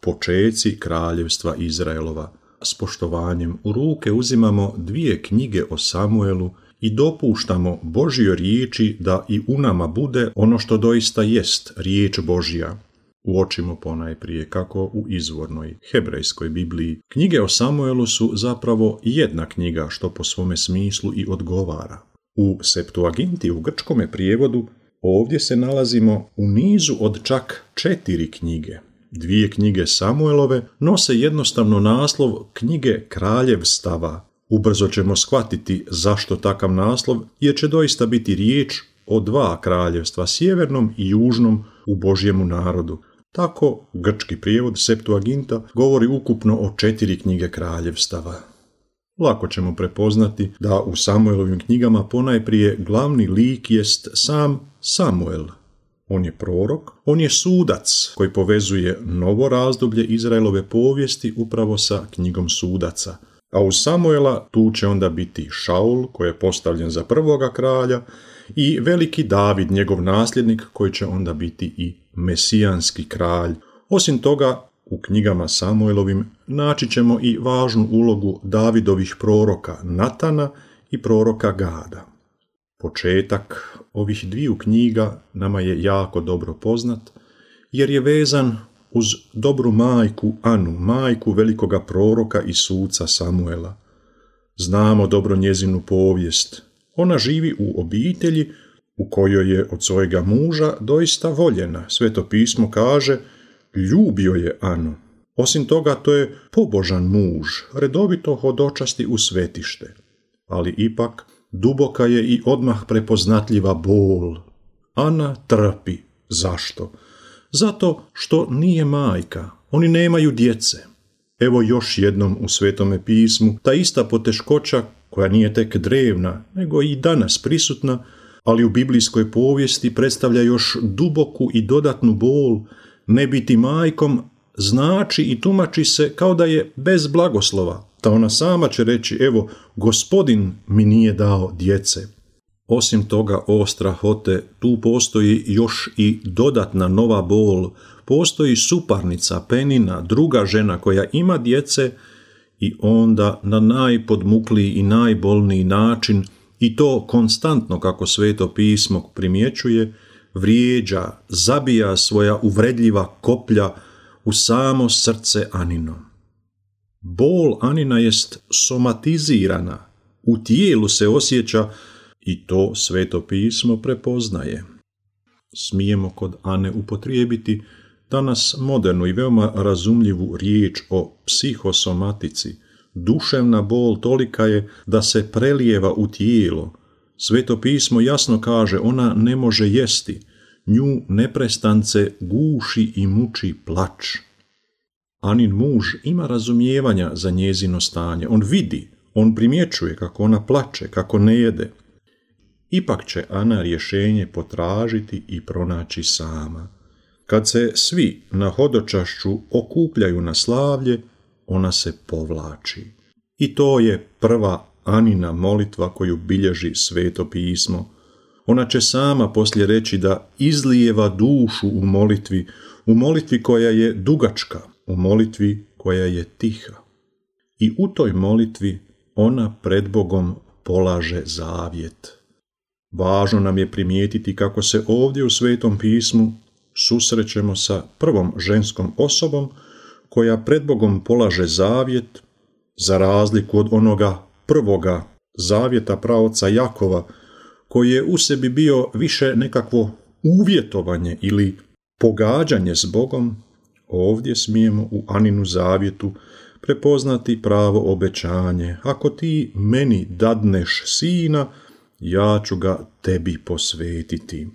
počeci kraljevstva Izraelova. S poštovanjem u ruke uzimamo 2 knjige o Samuelu i dopuštamo Božjoj riječi da i u nama bude ono što doista jest riječ Božja. Uočimo ponajprije kako u izvornoj hebrejskoj Bibliji knjige o Samuelu su zapravo jedna knjiga, što po svome smislu i odgovara. U Septuaginti, u grčkome prijevodu, ovdje se nalazimo u nizu od čak 4 knjige. 2 knjige Samuelove nose jednostavno naslov knjige kraljevstava. Ubrzo ćemo shvatiti zašto takav naslov, jer će doista biti riječ o 2 kraljevstva, sjevernom i južnom u Božjemu narodu. Tako grčki prijevod Septuaginta govori ukupno o 4 knjige kraljevstava. Lako ćemo prepoznati da u Samuelovim knjigama ponajprije glavni lik jest sam Samuel. On je prorok, on je sudac koji povezuje novo razdoblje Izraelove povijesti upravo sa knjigom sudaca. A uz Samuela tu će onda biti Šaul, koji je postavljen za prvoga kralja, i veliki David, njegov nasljednik, koji će onda biti i mesijanski kralj. Osim toga, u knjigama Samuelovim naći ćemo i važnu ulogu Davidovih proroka Natana i proroka Gada. Početak ovih 2 knjiga nama je jako dobro poznat, jer je vezan uz dobru majku Anu, majku velikoga proroka i suca Samuela. Znamo dobro njezinu povijest. Ona živi u obitelji u kojoj je od svojega muža doista voljena. Sveto pismo kaže, ljubio je Anu. Osim toga, to je pobožan muž, redovito hodočasti u svetište. Ali ipak, duboka je i odmah prepoznatljiva bol. Ana trpi. Zašto? Zato što nije majka. Oni nemaju djece. Evo još jednom u Svetome pismu ta ista poteškoća, koja nije tek drevna, nego i danas prisutna, ali u biblijskoj povijesti predstavlja još duboku i dodatnu bol. Ne biti majkom znači i tumači se kao da je bez blagoslova, da ona sama će reći, evo, Gospodin mi nije dao djece. Osim toga, o strahote, tu postoji još i dodatna nova bol. Postoji suparnica, Penina, druga žena koja ima djece i onda na najpodmukliji i najbolniji način, i to konstantno, kako Sveto pismo primjećuje, vrijeđa, zabija svoja uvredljiva koplja u samo srce Anino. Bol Anina jest somatizirana, u tijelu se osjeća i to Sveto pismo prepoznaje. Smijemo kod Ane upotrijebiti danas modernu i veoma razumljivu riječ o psihosomatici. Duševna bol tolika je da se prelijeva u tijelo. Sveto pismo jasno kaže, ona ne može jesti, nju neprestance guši i muči plač. Anin muž ima razumijevanja za njezino stanje, on vidi, on primjećuje kako ona plače, kako ne jede. Ipak će Ana rješenje potražiti i pronaći sama. Kad se svi na hodočašću okupljaju na slavlje, ona se povlači. I to je prva Anina molitva koju bilježi Sveto pismo. Ona će sama poslije reći da izlijeva dušu u molitvi koja je dugačka, u molitvi koja je tiha. I u toj molitvi ona pred Bogom polaže zavjet. Važno nam je primijetiti kako se ovdje u Svetom pismu susrećemo sa prvom ženskom osobom koja pred Bogom polaže zavjet, za razliku od onoga prvoga zavjeta praoca Jakova, koji je u sebi bio više nekakvo uvjetovanje ili pogađanje s Bogom. Ovdje smijemo u Aninu zavjetu prepoznati pravo obećanje. Ako ti meni dadneš sina, ja ću ga tebi posvetiti.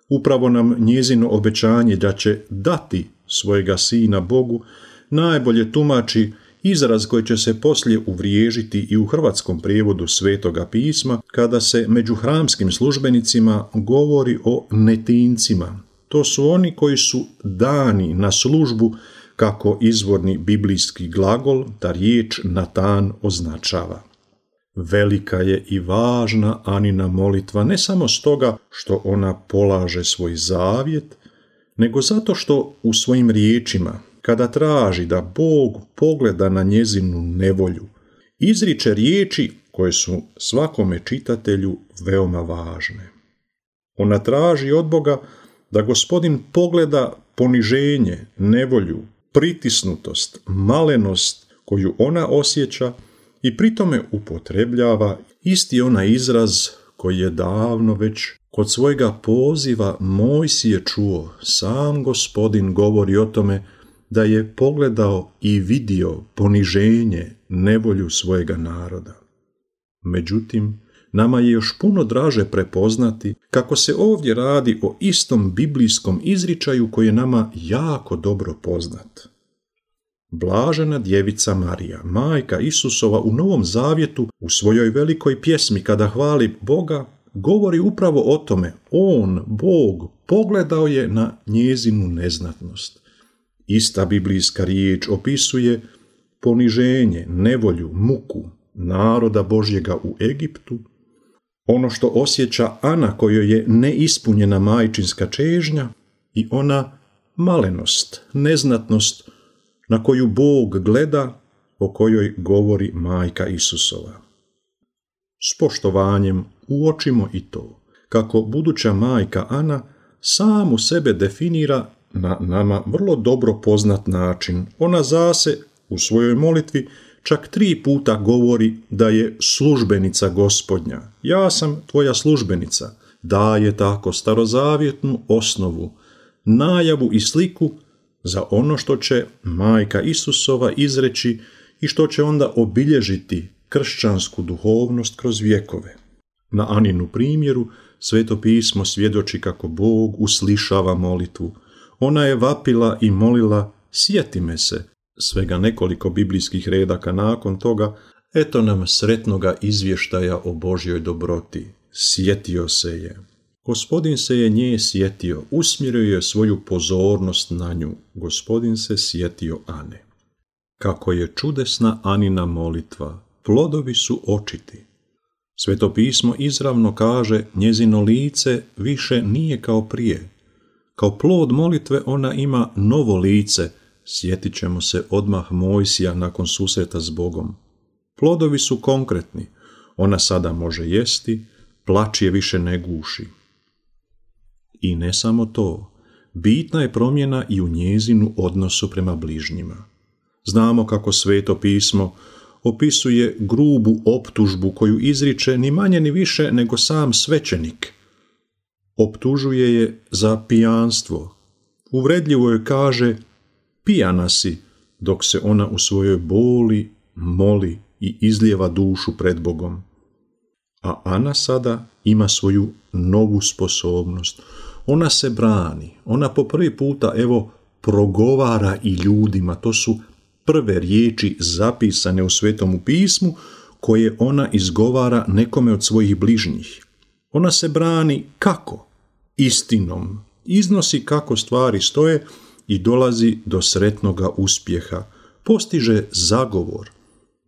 Upravo nam njezino obećanje da će dati svojega sina Bogu najbolje tumači izraz koji će se poslije uvriježiti i u hrvatskom prijevodu Svetoga pisma, kada se među hramskim službenicima govori o netincima. To su oni koji su dani na službu, kako izvorni biblijski glagol, ta riječ Natan označava. Velika je i važna Anina molitva, ne samo stoga što ona polaže svoj zavjet, nego zato što u svojim riječima, kada traži da Bog pogleda na njezinu nevolju, izriče riječi koje su svakome čitatelju veoma važne. Ona traži od Boga da Gospodin pogleda poniženje, nevolju, pritisnutost, malenost koju ona osjeća i pritome upotrebljava isti onaj izraz koji je davno već kod svojega poziva Mojsije čuo. Sam Gospodin govori o tome da je pogledao i vidio poniženje, nevolju svojega naroda. Međutim, nama je još puno draže prepoznati kako se ovdje radi o istom biblijskom izričaju koji je nama jako dobro poznat. Blažena djevica Marija, majka Isusova u Novom Zavjetu, u svojoj velikoj pjesmi kada hvali Boga, govori upravo o tome. On, Bog, pogledao je na njezinu neznatnost. Ista biblijska riječ opisuje poniženje, nevolju, muku naroda Božjega u Egiptu, ono što osjeća Ana kojoj je neispunjena majčinska čežnja i ona malenost, neznatnost na koju Bog gleda, o kojoj govori majka Isusova. S poštovanjem uočimo i to, kako buduća majka Ana samu sebe definira na nama vrlo dobro poznat način. Ona zase u svojoj molitvi čak 3 puta govori da je službenica Gospodnja. Ja sam tvoja službenica. Daje tako starozavjetnu osnovu, najavu i sliku za ono što će majka Isusova izreći i što će onda obilježiti kršćansku duhovnost kroz vjekove. Na Aninu primjeru Sveto pismo svjedoči kako Bog uslišava molitvu. Ona je vapila i molila: sjeti me se. Svega nekoliko biblijskih redaka nakon toga, eto nam sretnoga izvještaja o Božjoj dobroti. Sjetio se je. Gospodin se je nje sjetio, usmjerio je svoju pozornost na nju. Gospodin se sjetio Ane. Kako je čudesna Anina molitva, plodovi su očiti. Sveto pismo izravno kaže: njezino lice više nije kao prije. Kao plod molitve ona ima novo lice. Sjetit ćemo se odmah Mojsija nakon susreta s Bogom. Plodovi su konkretni. Ona sada može jesti, plač je više ne guši. I ne samo to, bitna je promjena i u njezinu odnosu prema bližnjima. Znamo kako Sveto pismo opisuje grubu optužbu koju izriče ni manje ni više nego sam svećenik. Optužuje je za pijanstvo. Uvredljivo joj kaže: pijana si, dok se ona u svojoj boli moli i izlijeva dušu pred Bogom. A Ana sada ima svoju novu sposobnost. Ona se brani. Ona po prvi puta, progovara i ljudima. To su prve riječi zapisane u Svetomu pismu koje ona izgovara nekome od svojih bližnjih. Ona se brani kako? Istinom. Iznosi kako stvari stoje i dolazi do sretnoga uspjeha. Postiže zagovor.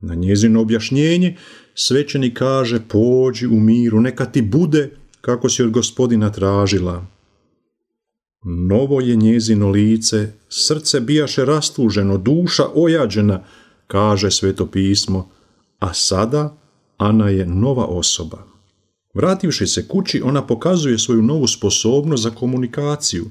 Na njezino objašnjenje svećenik kaže: pođi u miru, neka ti bude kako si od Gospodina tražila. Novo je njezino lice, srce bijaše rastuženo, duša ojađena, kaže Sveto pismo, a sada Ana je nova osoba. Vrativši se kući, ona pokazuje svoju novu sposobnost za komunikaciju.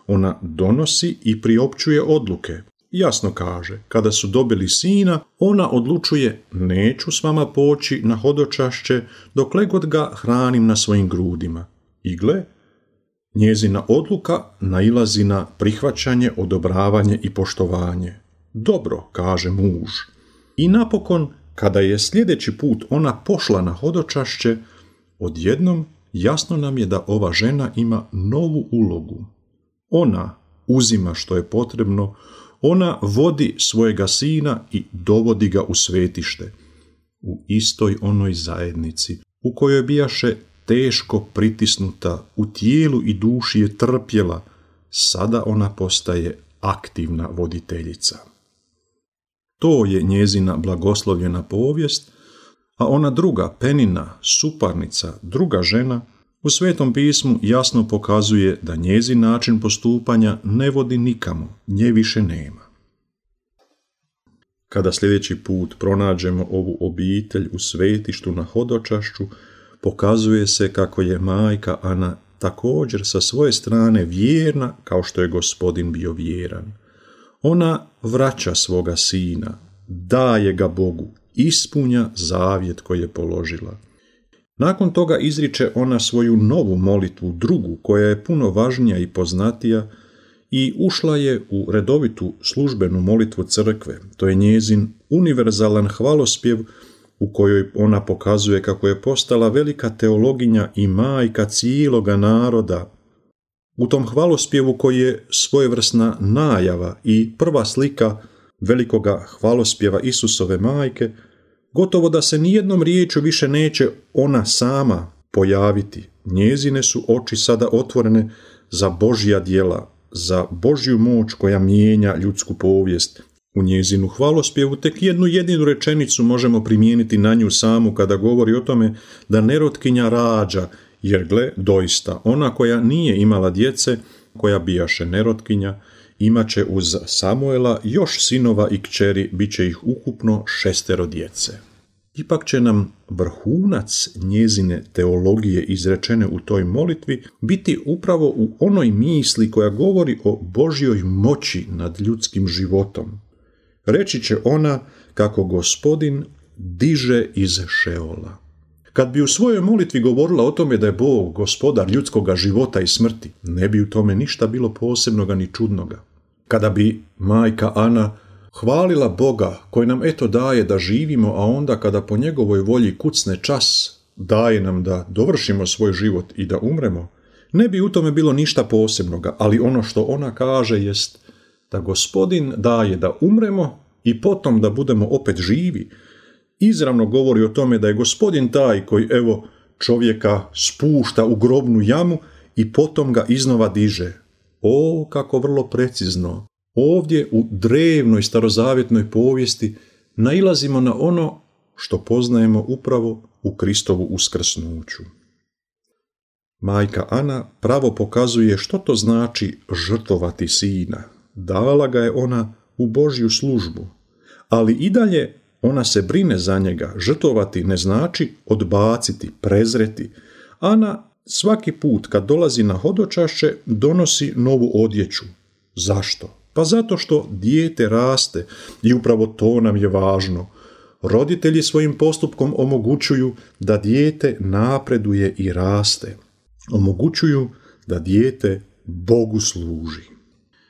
Ona donosi i priopćuje odluke. Jasno kaže: kada su dobili sina, ona odlučuje: neću s vama poći na hodočašće dokle god ga hranim na svojim grudima. I gle, njezina odluka nailazi na prihvaćanje, odobravanje i poštovanje. Dobro, kaže muž. I napokon, kada je sljedeći put ona pošla na hodočašće, odjednom jasno nam je da ova žena ima novu ulogu. Ona uzima što je potrebno, ona vodi svojega sina i dovodi ga u svetište, u istoj onoj zajednici u kojoj bijaše teško pritisnuta, u tijelu i duši je trpjela, sada ona postaje aktivna voditeljica. To je njezina blagoslovljena povijest, a ona druga, Penina, suparnica, druga žena, u Svetom pismu jasno pokazuje da njezin način postupanja ne vodi nikamo, nje više nema. Kada sljedeći put pronađemo ovu obitelj u svetištu na hodočašću, pokazuje se kako je majka Ana također sa svoje strane vjerna kao što je Gospodin bio vjeran. Ona vraća svoga sina, daje ga Bogu, ispunja zavjet koji je položila. Nakon toga izriče ona svoju novu molitvu, drugu, koja je puno važnija i poznatija, i ušla je u redovitu službenu molitvu crkve. To je njezin univerzalan hvalospjev u kojoj ona pokazuje kako je postala velika teologinja i majka cijeloga naroda. U tom hvalospjevu koji je svojevrsna najava i prva slika velikoga hvalospjeva Isusove majke, gotovo da se nijednom riječju više neće ona sama pojaviti. Njezine su oči sada otvorene za Božja djela, za Božju moć koja mijenja ljudsku povijest. U njezinu hvalospjevu tek jednu jedinu rečenicu možemo primijeniti na nju samu kada govori o tome da nerotkinja rađa, jer gle, doista, ona koja nije imala djece, koja bijaše nerotkinja, imaće uz Samuela još sinova i kćeri, bit će ih ukupno 6 djece. Ipak će nam vrhunac njezine teologije izrečene u toj molitvi biti upravo u onoj misli koja govori o Božjoj moći nad ljudskim životom. Reći će ona kako Gospodin diže iz Šeola. Kad bi u svojoj molitvi govorila o tome da je Bog gospodar ljudskoga života i smrti, ne bi u tome ništa bilo posebnoga ni čudnoga. Kada bi majka Ana hvalila Boga koji nam eto daje da živimo, a onda kada po njegovoj volji kucne čas, daje nam da dovršimo svoj život i da umremo, ne bi u tome bilo ništa posebnoga, ali ono što ona kaže jest da Gospodin daje da umremo i potom da budemo opet živi. Izravno govori o tome da je Gospodin taj koji čovjeka spušta u grobnu jamu i potom ga iznova diže. O, kako vrlo precizno! Ovdje u drevnoj starozavjetnoj povijesti nailazimo na ono što poznajemo upravo u Kristovu uskrsnuću. Majka Ana pravo pokazuje što to znači žrtvovati sina. Dala ga je ona u Božju službu, ali i dalje ona se brine za njega. Žrtvovati ne znači odbaciti, prezreti. Ana svaki put kad dolazi na hodočašće donosi novu odjeću. Zašto? Pa zato što dijete raste i upravo to nam je važno. Roditelji svojim postupkom omogućuju da dijete napreduje i raste. Omogućuju da dijete Bogu služi.